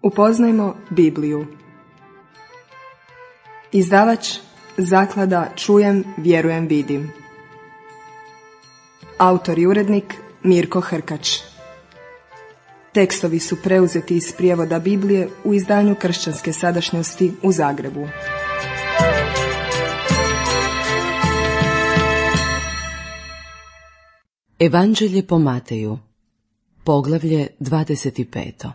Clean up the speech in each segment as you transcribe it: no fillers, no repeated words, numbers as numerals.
Upoznajmo Bibliju. Izdavač Zaklada Čujem, vjerujem, vidim. Autor i urednik Mirko Hrkač. Tekstovi su preuzeti iz prijevoda Biblije u izdanju Kršćanske sadašnjosti u Zagrebu. Evanđelje po Mateju, poglavlje 25.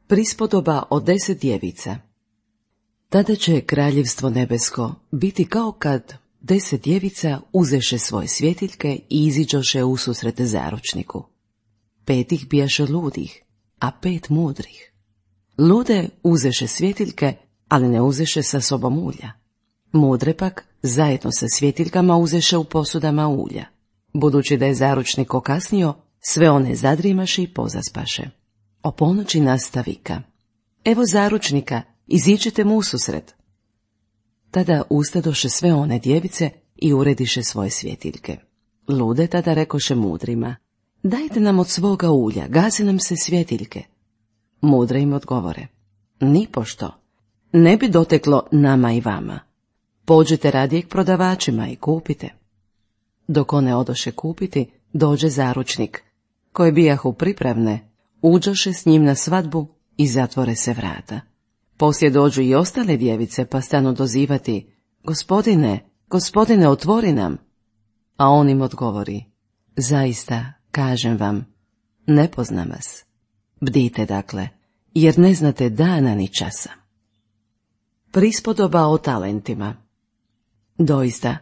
Prispodoba o 10 djevica. Tada će kraljevstvo nebesko biti kao kad 10 djevica uzeše svoje svjetiljke i iziđoše ususret zaručniku. 5 ih bijaše ludih, a 5 mudrih. Lude uzeše svjetiljke, ali ne uzeše sa sobom ulja. Mudre pak zajedno sa svjetiljkama uzeše u posudama ulja. Budući da je zaručnik okasnio, sve one zadrimaše i pozaspaše. O ponoći nasta vika: evo zaručnika, iziđite mu ususret. Tada ustadoše sve one djevice i urediše svoje svjetiljke. Lude tada rekoše mudrima: dajte nam od svoga ulja, gase nam se svjetiljke. Mudre im odgovore: nipošto, ne bi doteklo nama i vama. Pođite radije k prodavačima i kupite. Dok one odoše kupiti, dođe zaručnik, koje bijahu pripravne, uđoše s njim na svadbu i zatvore se vrata. Poslije dođu i ostale djevice, pa stanu dozivati: gospodine, gospodine, otvori nam. A on im odgovori: zaista, kažem vam, ne poznam vas. Bdite dakle, jer ne znate dana ni časa. Prispodoba o talentima. Doista,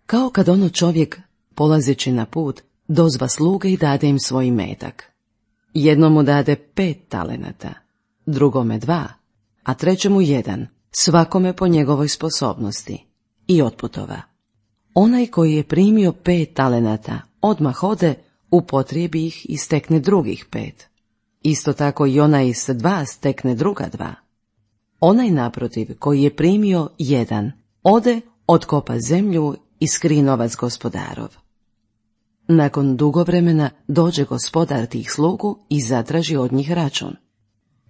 kao kad ono čovjek, polazeći na put, dozva sluge i dade im svoj imetak. Jednomu dade 5 talenata, drugome 2, a trećemu 1, svakome po njegovoj sposobnosti, i otputova. Onaj koji je primio 5 talenata odmah ode, upotrijebi ih i stekne drugih 5. Isto tako i onaj s 2 stekne druga 2. Onaj naprotiv koji je primio 1, ode, otkopa zemlju i skri novac gospodarov. Nakon dugo vremena dođe gospodar tih slugu i zatraži od njih račun.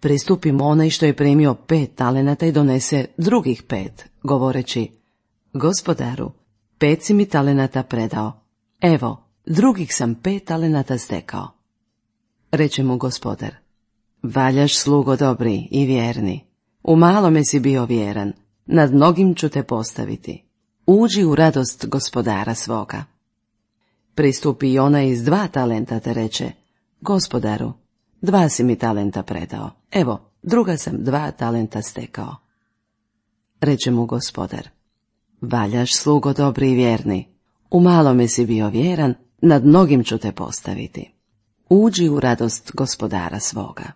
Pristupimo onaj što je primio 5 talenata i donese drugih 5, govoreći: gospodaru, 5 si mi talenata predao, evo, drugih sam 5 talenata stekao. Reče mu gospodar: valjaš, slugo dobri i vjerni, u malome si bio vjeran, nad mnogim ću te postaviti, uđi u radost gospodara svoga. Pristupi i onaj iz 2 talenta te reče: gospodaru, 2 si mi talenta predao, evo, druga sam 2 talenta stekao. Reče mu gospodar: valjaš, slugo dobri i vjerni, u malome si bio vjeran, nad mnogim ću te postaviti, uđi u radost gospodara svoga.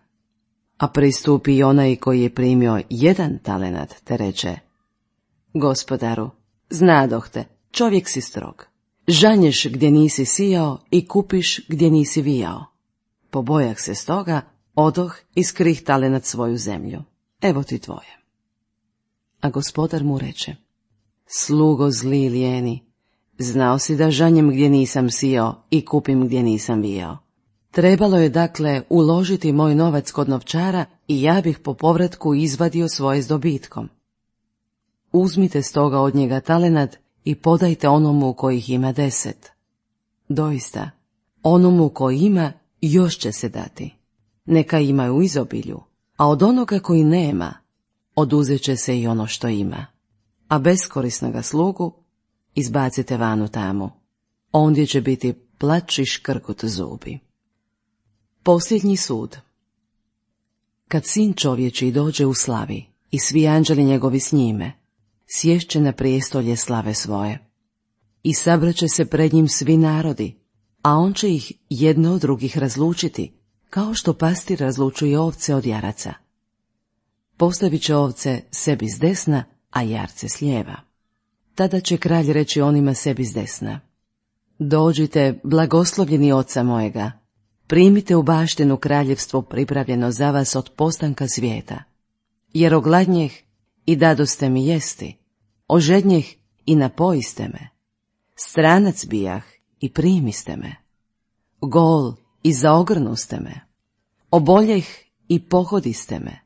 A pristupi i onaj koji je primio 1 talenat te reče: gospodaru, znadoh te, čovjek si strog, žanješ gdje nisi sijao i kupiš gdje nisi vijao. Pobojah se stoga, odoh i skrih talenat svoju zemlju, evo ti tvoje. A gospodar mu reče: slugo zli i lijeni, znao si da žanjem gdje nisam sijao i kupim gdje nisam vijao. Trebalo je dakle uložiti moj novac kod novčara i ja bih po povratku izvadio svoje s dobitkom. Uzmite stoga od njega talenat i podajte onomu kojih ima 10. Doista, onomu koji ima još će se dati, neka ima u izobilju, a od onoga koji nema oduzet će se i ono što ima. A beskorisnoga slugu izbacite vanu tamo, ondje će biti plač i škrgut zubi. Posljednji sud. Kad sin čovječiji dođe u slavi i svi anđeli njegovi s njime, sješće na prijestolje slave svoje. I sabraće se pred njim svi narodi, a on će ih jedne od drugih razlučiti, kao što pastir razlučuje ovce od jaraca. Postavit će ovce sebi s desna, a jarce s lijeva. Tada će kralj reći onima sebi s desna: dođite, blagoslovljeni oca mojega, primite u baštinu kraljevstvo pripravljeno za vas od postanka svijeta. Jer ogladnjeh i dadoste mi jesti, ožednjeh i napojiste me, stranac bijah i primiste me, gol i zaogrnuste me, oboljeh i pohodiste me.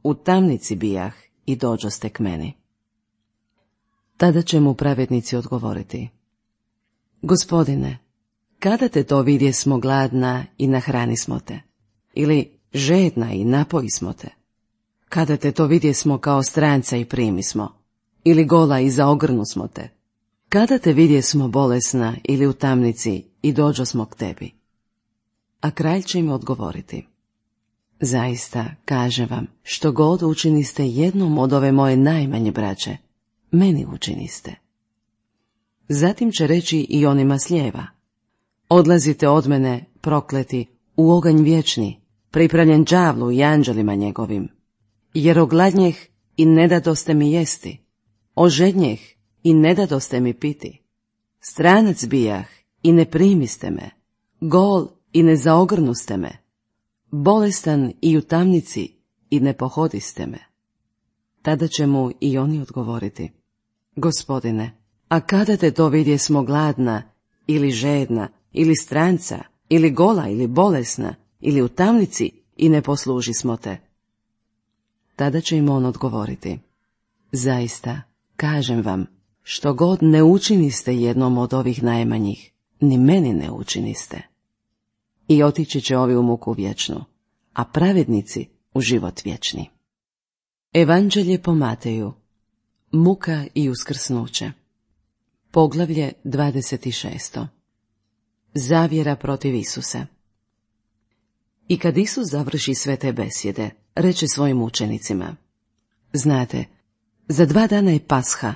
U tamnici bijah i dođoste k meni. Tada će mu pravednici odgovoriti: Gospodine, kada te to vidjesmo gladna i nahranismo te, ili žedna i napojismo te? Kada te to vidjesmo kao stranca i primismo, ili gola i zaogrnusmo te? Kada te vidjesmo bolesna ili u tamnici i dođosmo k tebi? A kralj će im odgovoriti: Zaista, kažem vam, što god učiniste jednom od ove moje najmanje braće, meni učiniste. Zatim će reći i onima s lijeva: Odlazite od mene, prokleti, u oganj vječni, pripravljen đavlu i anđelima njegovim. Jer ogladnjeh i ne dadoste mi jesti, ožednjeh i ne dadoste mi piti, stranac bijah i ne primiste me, gol i ne zaogrnuste me, bolestan i u tamnici i ne pohodiste me. Tada će mu i oni odgovoriti: Gospodine, a kada te to vidjesmo gladna ili žedna ili stranca ili gola ili bolesna ili u tamnici i ne poslužismo te? Tada će im on odgovoriti: Zaista, kažem vam, što god ne učiniste jednom od ovih najmanjih, ni meni ne učiniste. I otići će ovi u muku vječnu, a pravednici u život vječni. Evanđelje po Mateju. Muka i uskrsnuće. Poglavlje 26. Zavjera protiv Isusa. I kad Isus završi sve te besjede, reče svojim učenicima: Znate, za 2 dana je Pasha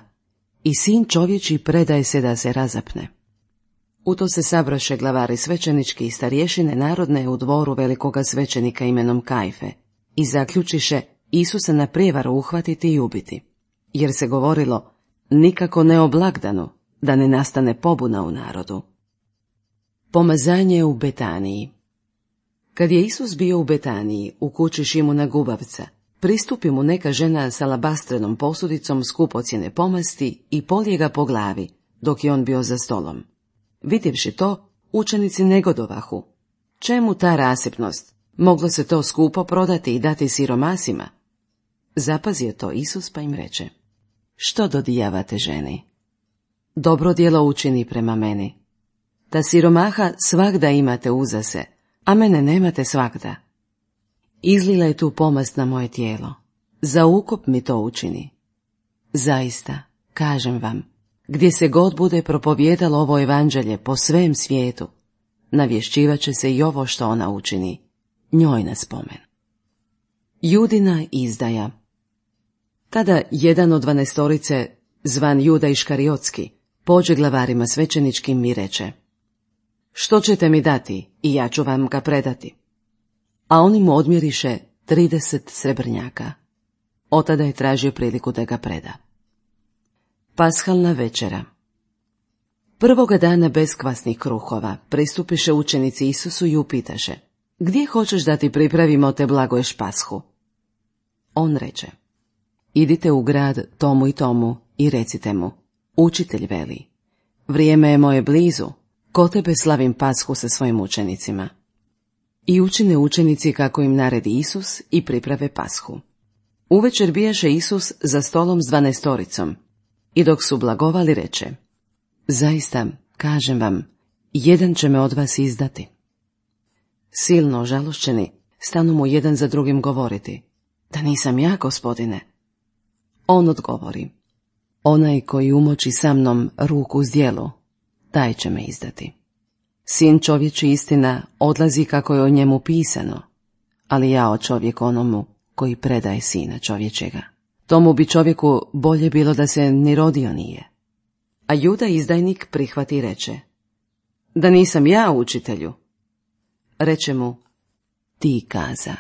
i sin čovječji predaje se da se razapne. U to se sabraše glavari svećenički i starješine narodne u dvoru velikoga svećenika imenom Kajfe i zaključiše Isusa na prijevaru uhvatiti i ubiti, jer se govorilo: nikako ne o blagdanu, da ne nastane pobuna u narodu. Pomazanje u Betaniji. Kad je Isus bio u Betaniji, u kući Šimuna Gubavca, pristupi mu neka žena s alabastrenom posudicom skupocjene pomasti i polije ga po glavi, dok je on bio za stolom. Vidjevši to, učenici negodovahu: čemu ta rasipnost? Moglo se to skupo prodati i dati siromasima? Zapazio to Isus pa im reče: što dodijavate ženi? Dobro djelo učini prema meni. Ta siromaha svagda imate uza se, a mene nemate svagda. Izlila je tu pomast na moje tijelo, za ukop mi to učini. Zaista, kažem vam, gdje se god bude propovijedalo ovo evanđelje po svem svijetu, navješćivat će se i ovo što ona učini, njoj na spomen. Judina izdaja. Tada jedan od 12, zvan Juda Iškariotski, pođe glavarima svećeničkim i reče: što ćete mi dati i ja ću vam ga predati? A oni mu odmjeriše 30 srebrnjaka. Otada je tražio priliku da ga preda. Pashalna večera. Prvoga dana beskvasnih kruhova pristupiše učenici Isusu i upitaše: gdje hoćeš da ti pripravimo te blagoješ Pashu? On reče: idite u grad tomu i tomu i recite mu: učitelj veli, vrijeme je moje blizu, ko tebe slavim Pashu sa svojim učenicima. I učine učenici kako im naredi Isus i priprave Pashu. Uvečer bijaše Isus za stolom s 12 i dok su blagovali reče: zaista, kažem vam, jedan će me od vas izdati. Silno ožalošćeni stanu mu jedan za drugim govoriti: da nisam ja, gospodine. On odgovori: onaj koji umoči sa mnom ruku uz djelu, taj će me izdati. Sin čovječi, istina, odlazi kako je o njemu pisano, ali jao čovjek onomu koji predaje sina čovječega. Tomu bi čovjeku bolje bilo da se ni rodio nije. A Juda izdajnik prihvati i reče: da nisam ja, učitelju. Reče mu: ti kaza.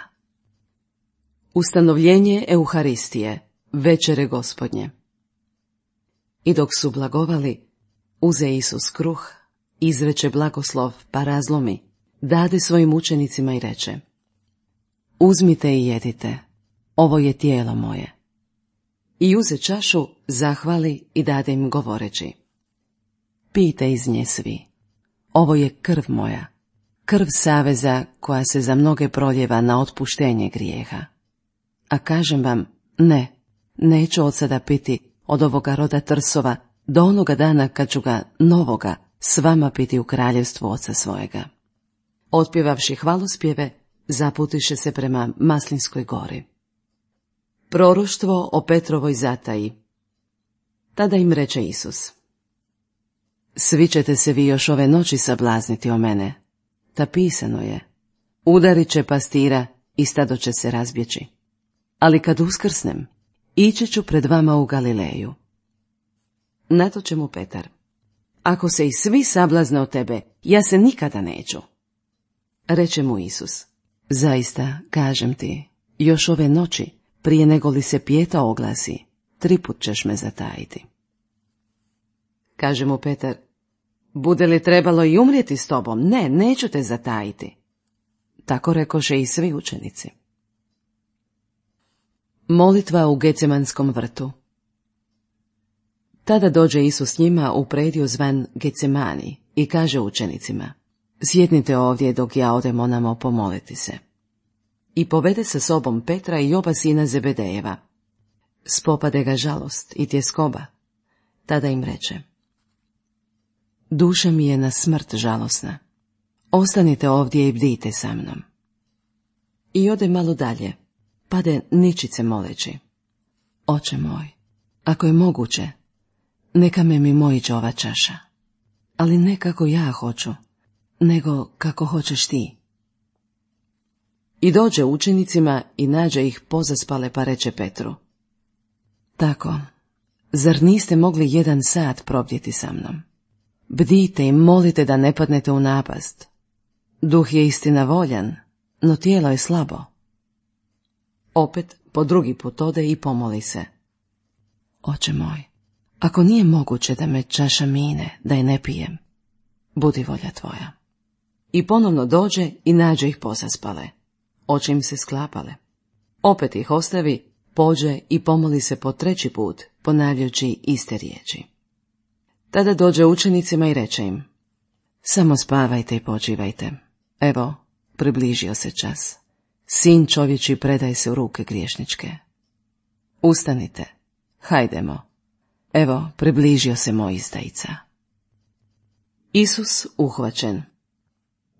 Ustanovljenje Euharistije, večere Gospodnje. I dok su blagovali, uze Isus kruh, izreče blagoslov pa razlomi, dade svojim učenicima i reče: uzmite i jedite, ovo je tijelo moje. I uze čašu, zahvali i dade im govoreći: pijte iz nje svi, ovo je krv moja, krv saveza koja se za mnoge proljeva na otpuštenje grijeha. A kažem vam, neću od sada piti od ovoga roda trsova do onoga dana kad ću ga novoga s vama piti u kraljevstvu oca svojega. Otpjevavši hvalospjeve, zaputiše se prema Maslinskoj gori. Proroštvo o Petrovoj zataji. Tada im reče Isus: Svi ćete se vi još ove noći sablazniti o mene. Ta pisano je: udarit će pastira i stado će se razbjeći. Ali kad uskrsnem, ići ću pred vama u Galileju. Na to će mu Petar: Ako se i svi sablazne od tebe, ja se nikada neću. Reče mu Isus: Zaista, kažem ti, još ove noći, prije nego li se pjeta oglasi, 3 put ćeš me zatajiti. Kaže mu Petar: Bude li trebalo i umrijeti s tobom? Ne, neću te zatajiti. Tako rekoše i svi učenici. Molitva u Gecemanskom vrtu. Tada dođe Isus s njima u prediju zvan Gecemani i kaže učenicima: Sjednite ovdje dok ja odem onamo pomoliti se. I povede sa sobom Petra i oba sina Zebedejeva. Spopade ga žalost i tjeskoba. Tada im reče: Duša mi je na smrt žalosna. Ostanite ovdje i bdijte sa mnom. I ode malo dalje, pade ničice moleći: Oče moj, ako je moguće, neka me mimoiđe ova čaša, ali ne kako ja hoću, nego kako hoćeš ti. I dođe učenicima i nađe ih pozaspale, pa reče Petru: Tako, zar niste mogli 1 sat probdjeti sa mnom? Bdijte i molite da ne padnete u napast. Duh je istina voljan, no tijelo je slabo. Opet po drugi put ode i pomoli se: Oče moj, ako nije moguće da me čaša mine, da je ne pijem, budi volja tvoja. I ponovno dođe i nađe ih pozaspale. Oči im se sklapale. Opet ih ostavi, pođe i pomoli se po 3. put, ponavljajući iste riječi. Tada dođe učenicima i reče im: Samo spavajte i počivajte. Evo, približio se čas. Sin čovječji predaje se u ruke griješničke. Ustanite, hajdemo. Evo, približio se moj izdajica. Isus uhvaćen.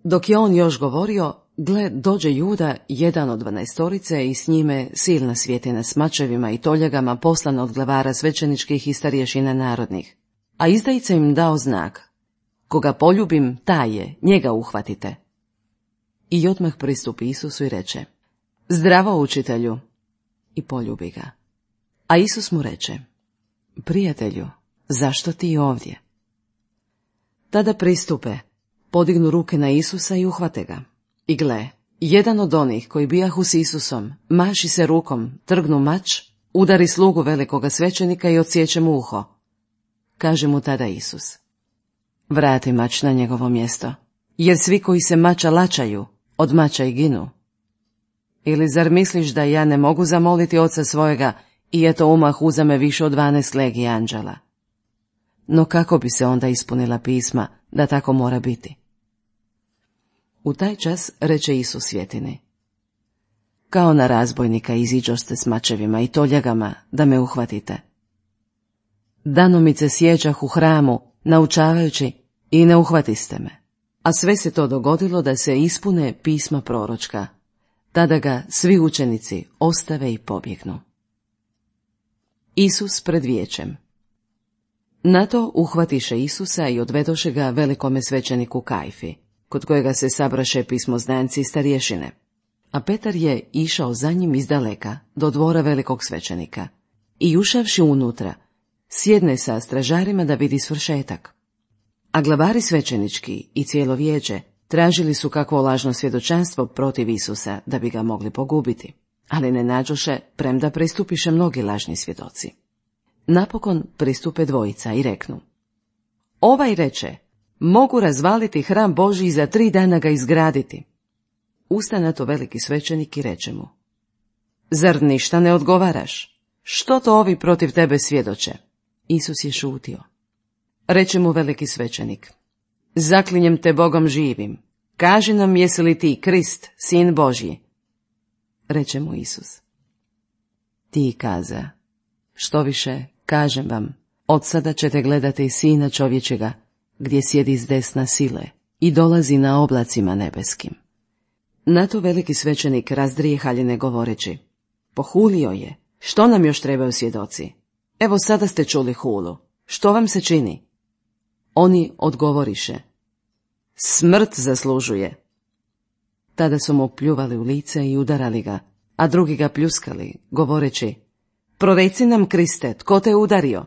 Dok je on još govorio, gle, dođe Juda, jedan od 12 i s njime silna svjetina s mačevima i toljagama poslana od glavara svećeničkih i starješina narodnih. A izdajica im dao znak: Koga poljubim, taj je, njega uhvatite. I odmah pristupi Isusu i reče: Zdravo, učitelju. I poljubi ga. A Isus mu reče: Prijatelju, zašto ti ovdje? Tada pristupe, podignu ruke na Isusa i uhvate ga. I gle, jedan od onih koji bijahu s Isusom maši se rukom, trgnu mač, udari slugu velikoga svećenika i odsječe mu uho. Kaže mu tada Isus: Vrati mač na njegovo mjesto, jer svi koji se mača lačaju, od mača i ginu. Ili zar misliš da ja ne mogu zamoliti oca svojega i eto umah uzame više od 12 legija anđela? No kako bi se onda ispunila pisma da tako mora biti? U taj čas reče Isus svjetini: Kao na razbojnika iziđoste s mačevima i toljagama da me uhvatite. Danomice sjeđah u hramu, naučavajući, i ne uhvatiste me. A sve se to dogodilo da se ispune pisma proročka. Tada ga svi učenici ostave i pobjegnu. Isus pred vijećem. Na to uhvatiše Isusa i odvedoše ga velikome svećeniku Kajfi, kod kojega se sabraše pismoznanci i starješine. A Petar je išao za njim izdaleka, do dvora velikog svećenika. I ušavši unutra, sjedne sa stražarima da vidi svršetak. A glavari svećenički i cijelo vijeće tražili su kakvo lažno svjedočanstvo protiv Isusa da bi ga mogli pogubiti, ali ne nađoše, premda pristupiše mnogi lažni svjedoci. Napokon pristupe dvojica i reknu: Ovaj reče: Mogu razvaliti hram Božji i za 3 dana ga izgraditi. Usta na to veliki svećenik i reče mu: Zar ništa ne odgovaraš? Što to ovi protiv tebe svjedoče? Isus je šutio. Reče mu veliki svećenik: Zaklinjem te Bogom živim, kaži nam, jesi li ti Krist, sin Božji? Reče mu Isus: Ti kaza, što više, kažem vam, od sada ćete gledati Sina čovječega, gdje sjedi s desna sile i dolazi na oblacima nebeskim. Na to veliki svećenik razdrije haljine govoreći: Pohulio je, što nam još trebaju svjedoci? Evo sada ste čuli hulu, što vam se čini? Oni odgovoriše: Smrt zaslužuje. Tada su mu pljuvali u lice i udarali ga, a drugi ga pljuskali, govoreći: Proreci nam, Kriste, tko te udario?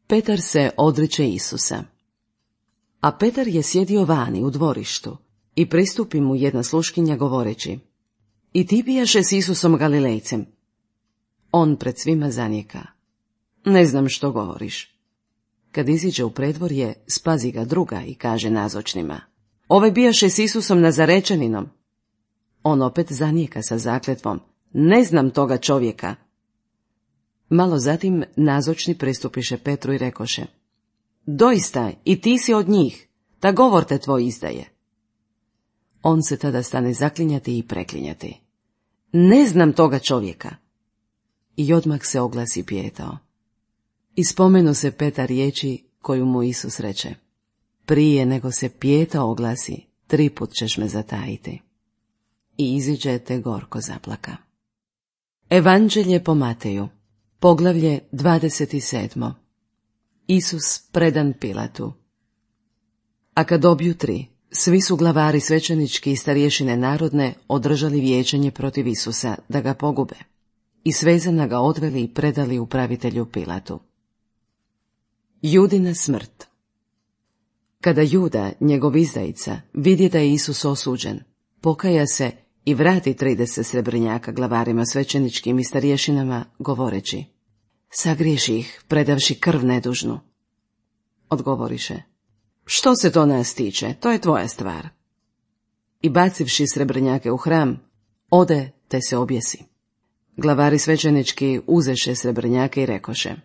Petar se odriče Isusa. A Petar je sjedio vani u dvorištu i pristupi mu jedna sluškinja govoreći: I ti bijaše s Isusom Galilejcem? On pred svima zanijeka: Ne znam što govoriš. Kad iziđe u predvorje, spazi ga druga i kaže nazočnima: Ovaj bijaše s Isusom Nazarečaninom. On opet zanijeka sa zakletvom: Ne znam toga čovjeka. Malo zatim nazočni pristupiše Petru i rekoše: Doista, i ti si od njih, ta govor te tvoj izdaje. On se tada stane zaklinjati i preklinjati: Ne znam toga čovjeka. I odmah se oglasi pijetao. I spomenu se Petar riječi koju mu Isus reče: Prije nego se pijetao oglasi, 3 put ćeš me zatajiti. I iziđe te gorko zaplaka. Evanđelje po Mateju, poglavlje 27. Isus predan Pilatu. A kad objutri, svi su glavari svećenički i starješine narodne održali vijećanje protiv Isusa da ga pogube, i svezana ga odveli i predali upravitelju Pilatu. Judina smrt. Kada Juda, njegov izdajica, vidje da je Isus osuđen, pokaja se i vrati 30 srebrnjaka glavarima svećeničkim i starješinama, govoreći: Sagriješi ih, predavši krv nedužnu. Odgovoriše: Što se to nas tiče, to je tvoja stvar. I bacivši srebrnjake u hram, ode te se objesi. Glavari svećenički uzeše srebrnjake i rekoše: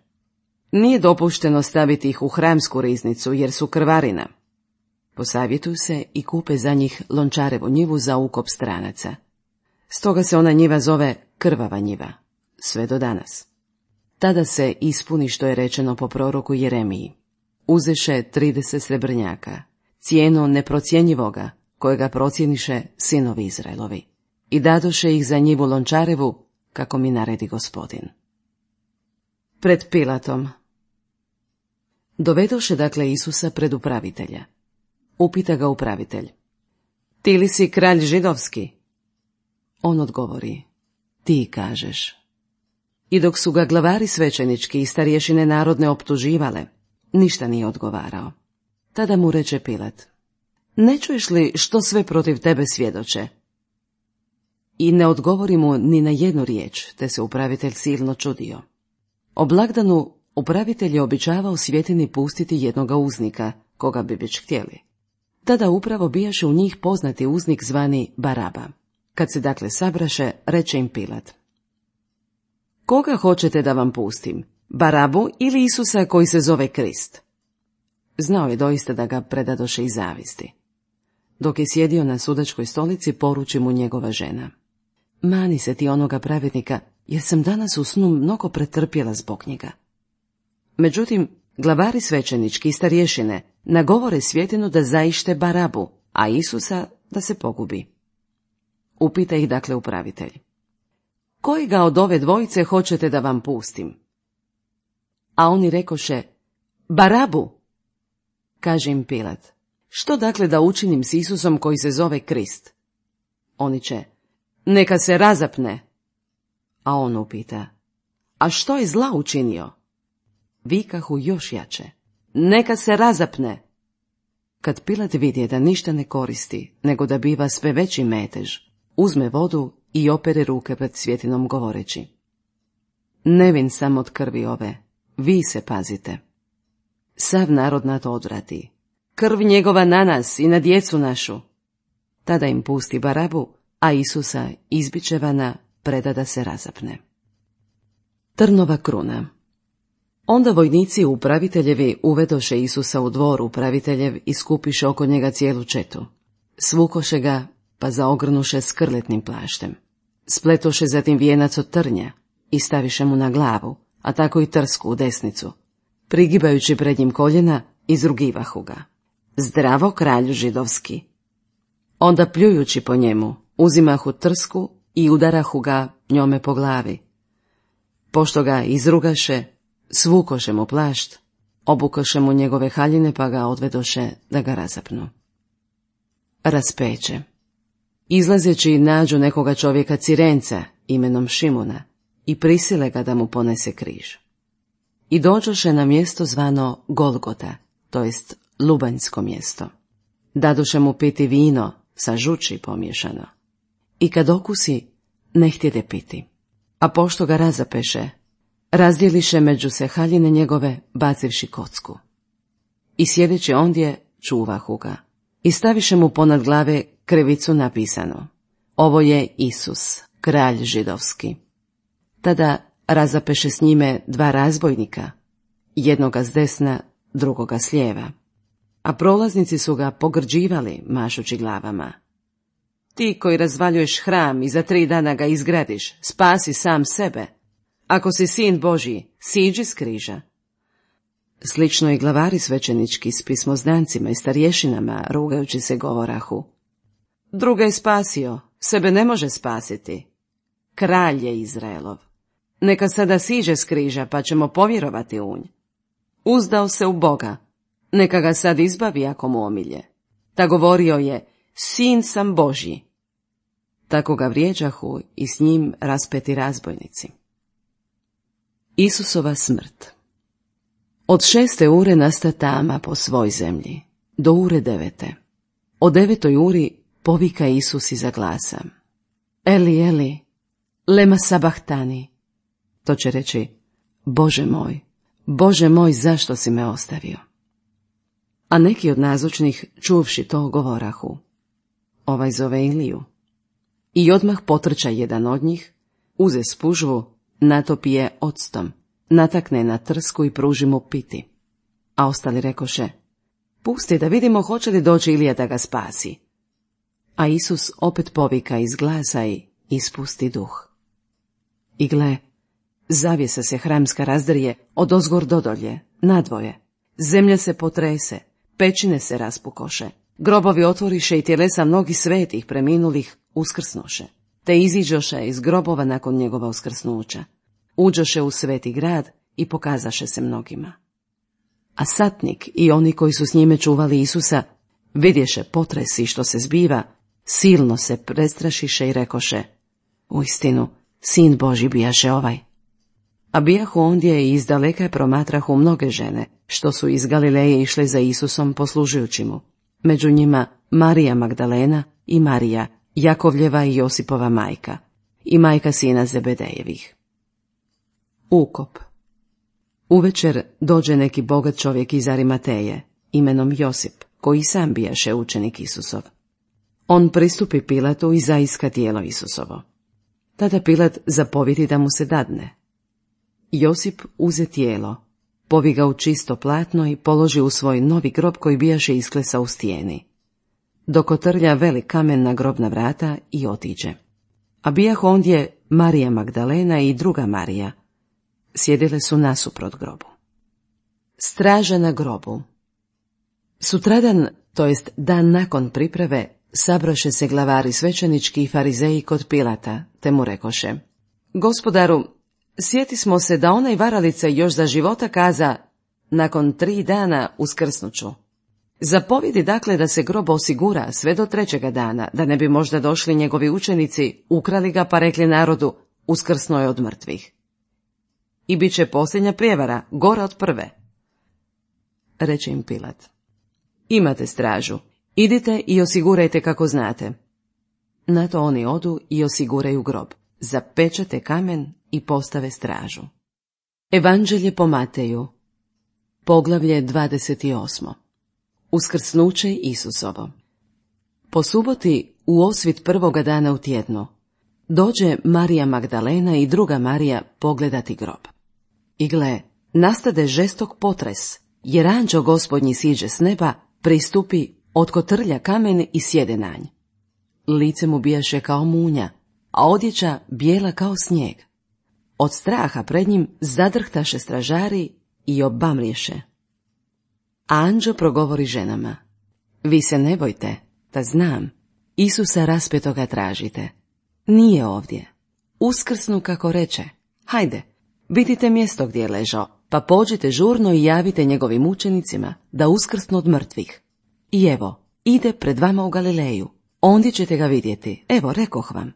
Nije dopušteno staviti ih u hramsku riznicu, jer su krvarina. Posavjetuju se i kupe za njih lončarevu njivu za ukop stranaca. Stoga se ona njiva zove krvava njiva, sve do danas. Tada se ispuni što je rečeno po proroku Jeremiji: Uzeše 30 srebrnjaka, cijenu neprocjenjivoga, kojega procijeniše sinovi Izraelovi, i dadoše ih za njivu lončarevu, kako mi naredi Gospodin. Pred Pilatom. Dovedoše dakle Isusa pred upravitelja. Upita ga upravitelj: Ti li si kralj židovski? On odgovori: Ti kažeš. I dok su ga glavari svećenički i starješine narodne optuživale, ništa nije odgovarao. Tada mu reče Pilat: Ne čuješ li što sve protiv tebe svjedoče? I ne odgovori mu ni na jednu riječ, te se upravitelj silno čudio. O blagdanu upravitelj je običavao svjetini pustiti jednoga uznika, koga bi već htjeli. Tada upravo bijaše u njih poznati uznik zvani Baraba. Kad se dakle sabraše, reče im Pilat: Koga hoćete da vam pustim, Barabu ili Isusa koji se zove Krist? Znao je doista da ga predadoše iz zavisti. Dok je sjedio na sudačkoj stolici, poruči mu njegova žena: Mani se ti onoga pravednika, jer sam danas u snu mnogo pretrpjela zbog njega. Međutim, glavari svećenički i starješine nagovore svjetinu da zaište Barabu, a Isusa da se pogubi. Upita ih dakle upravitelj: Kojega od ove dvojice hoćete da vam pustim? A oni rekoše: Barabu. Kaže im Pilat: Što dakle da učinim s Isusom koji se zove Krist? Oni će: Neka se razapne. A on upita: A što je zla učinio? Vikahu još jače: Neka se razapne. Kad Pilat vidje da ništa ne koristi, nego da biva sve veći metež, uzme vodu i opere ruke pred svjetinom govoreći: Nevin sam od krvi ove, vi se pazite. Sav narod na to odvrati: Krv njegova na nas i na djecu našu. Tada im pusti Barabu, a Isusa izbičevana preda da se razapne. Trnova kruna. Onda vojnici upraviteljevi uvedoše Isusa u dvor upraviteljev i skupiše oko njega cijelu četu. Svukoše ga, pa zaogrnuše skrletnim plaštem. Spletoše zatim vijenac od trnja i staviše mu na glavu, a tako i trsku u desnicu. Prigibajući pred njim koljena, izrugivahu ga. Zdravo, kralju židovski. Onda pljujući po njemu, uzimahu trsku i udarahu ga njome po glavi. Pošto ga izrugaše, svukoše mu plašt, obukoše mu njegove haljine pa ga odvedoše da ga razapnu. Raspeće. Izlazeći nađu nekoga čovjeka Cirenca imenom Šimuna i prisile ga da mu ponese križ. I dođoše na mjesto zvano Golgota, to jest lubanjsko mjesto. Dadoše mu piti vino sa žuči pomiješano. I kad okusi, ne htjede piti. A pošto ga razapeše, razdjeliše među se haljine njegove, bacivši kocku. I sjedeći ondje, čuvahu ga. I staviše mu ponad glave krivicu napisano: Ovo je Isus, kralj židovski. Tada razapeše s njime 2 razbojnika, jednoga s desna, drugoga s lijeva. A prolaznici su ga pogrđivali, mašući glavama. Ti koji razvaljuješ hram i za 3 dana ga izgradiš, spasi sam sebe. Ako si sin Božji, siđi s križa. Slično i glavari svećenički s pismoznancima i starješinama, rugajući se, govorahu: Druga je spasio, sebe ne može spasiti. Kralj je Izraelov. Neka sada siđe s križa, pa ćemo povjerovati u nj. Uzdao se u Boga, neka ga sad izbavi ako mu omilje. Ta govorio je: Sin sam Božji. Tako ga vrijeđahu i s njim raspeti razbojnici. Isusova smrt. Od 6. ure nasta tama po svoj zemlji, do ure 9. O 9. uri povika Isus iza glasa: Eli, Eli, lema sabahtani. To će reći: Bože moj, zašto si me ostavio? A neki od nazočnih, čuvši to, govorahu: Ovaj zove Iliju. I odmah potrča jedan od njih, uze spužvu, natopi je octom, natakne na trsku i pruži mu piti. A ostali rekoše: Pusti da vidimo hoće li doći Ilija da ga spasi. A Isus opet povika iz glasa i ispusti duh. I gle, zavjesa se hramska razdrije odozgor do dolje, nadvoje. Zemlja se potrese, pećine se raspukoše, grobovi otvoriše i tjelesa mnogih svetih preminulih uskrsnoše, te iziđoše iz grobova nakon njegova uskrsnuća. Uđoše u sveti grad i pokazaše se mnogima. A satnik i oni koji su s njime čuvali Isusa vidješe potresi što se zbiva, silno se prestrašiše i rekoše: Uistinu, sin Božji bijaše ovaj. A bijahu ondje i izdaleka promatrahu mnoge žene, što su iz Galileje išle za Isusom poslužujući mu. Među njima Marija Magdalena i Marija, Jakovljeva i Josipova majka, i majka sina Zebedejevih. Ukop. Uvečer dođe neki bogat čovjek iz Arimateje, imenom Josip, koji sam bijaše učenik Isusov. On pristupi Pilatu i zaiska tijelo Isusovo. Tada Pilat zapovjedi da mu se dadne. Josip uze tijelo, povi ga u čisto platno i položi u svoj novi grob koji bijaše isklesao u stijeni. Dok otrlja velik kamen na grobna vrata i otiđe. A bijahu ondje Marija Magdalena i druga Marija. Sjedile su nasuprot grobu. Straža na grobu. Sutradan, to jest dan nakon priprave, sabroše se glavari svećenički i farizeji kod Pilata, te mu rekoše: Gospodaru, sjeti smo se da onaj varalica još za života kaza: nakon 3 dana uskrsnuću. Zapovjedi dakle da se grob osigura sve do 3. dana, da ne bi možda došli njegovi učenici, ukrali ga pa rekli narodu: uskrsnuo je od mrtvih. I bit će posljednja prijevara, gora od prve. Reče im Pilat: Imate stražu, idite i osigurajte kako znate. Na to oni odu i osiguraju grob, zapečate kamen i postave stražu. Evanđelje po Mateju, poglavlje 28. Uskrsnuće Isusovo. Po suboti, u osvit 1. dana u tjednu, dođe Marija Magdalena i druga Marija pogledati grob. I gle, nastade žestok potres, jer anđeo Gospodnji siđe s neba, pristupi otkotrlja kamen i sjede na nj. Lice mu bijaše kao munja, a odjeća bijela kao snijeg. Od straha pred njim zadrhtaše stražari i obamriješe. A anđeo progovori ženama: vi se ne bojte, da znam, Isusa raspetoga tražite. Nije ovdje. Uskrsnu kako reče. Hajde, vidite mjesto gdje je ležao, pa pođite žurno i javite njegovim učenicima da uskrsnu od mrtvih. I evo, ide pred vama u Galileju, ondje ćete ga vidjeti, evo, rekoh vam.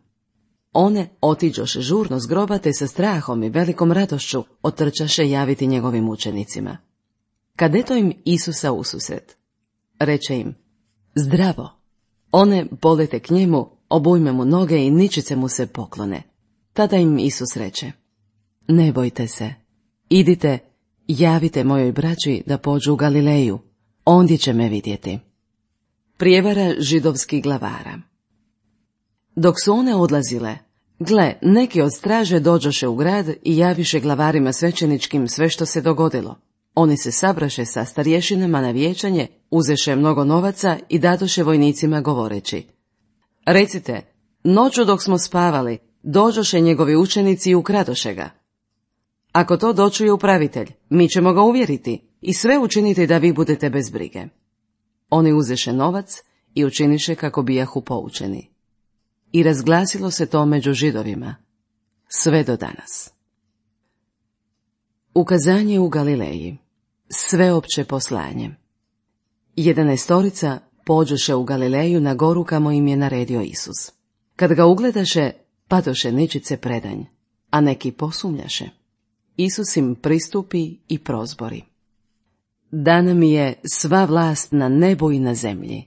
One otiđoše žurno s groba, te sa strahom i velikom radošću otrčaše javiti njegovim učenicima. Kad eto im Isusa ususret, reče im: zdravo. One polete k njemu, obujme mu noge i ničice mu se poklone. Tada im Isus reče: ne bojte se, idite, javite mojoj braći da pođu u Galileju, ondje će me vidjeti. Prijevara židovskih glavara. Dok su one odlazile, gle, neki od straže dođoše u grad i javiše glavarima svećeničkim sve što se dogodilo. Oni se sabraše sa starješinama na vijećanje, uzeše mnogo novaca i dadoše vojnicima govoreći: recite, noću dok smo spavali, dođoše njegovi učenici i ukradoše ga. Ako to dočuje upravitelj, mi ćemo ga uvjeriti i sve učiniti da vi budete bez brige. Oni uzeše novac i učiniše kako bijahu poučeni. I razglasilo se to među Židovima, sve do danas. Ukazanje u Galileji. Sveopće poslanje. 11 pođoše u Galileju na goru kamo im je naredio Isus. Kad ga ugledaše, padoše ničice predanj, a neki posumnjaše. Isus im pristupi i prozbori: dana mi je sva vlast na nebu i na zemlji.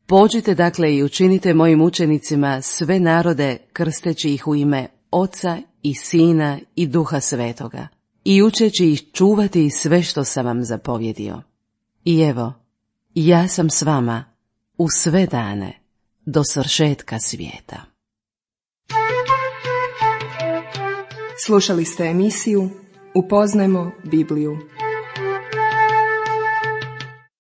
Pođite dakle i učinite mojim učenicima sve narode, krsteći ih u ime Oca i Sina i Duha Svetoga, i učeći ih čuvati sve što sam vam zapovjedio. I evo, ja sam s vama u sve dane do svršetka svijeta. Slušali ste emisiju Upoznajmo Bibliju.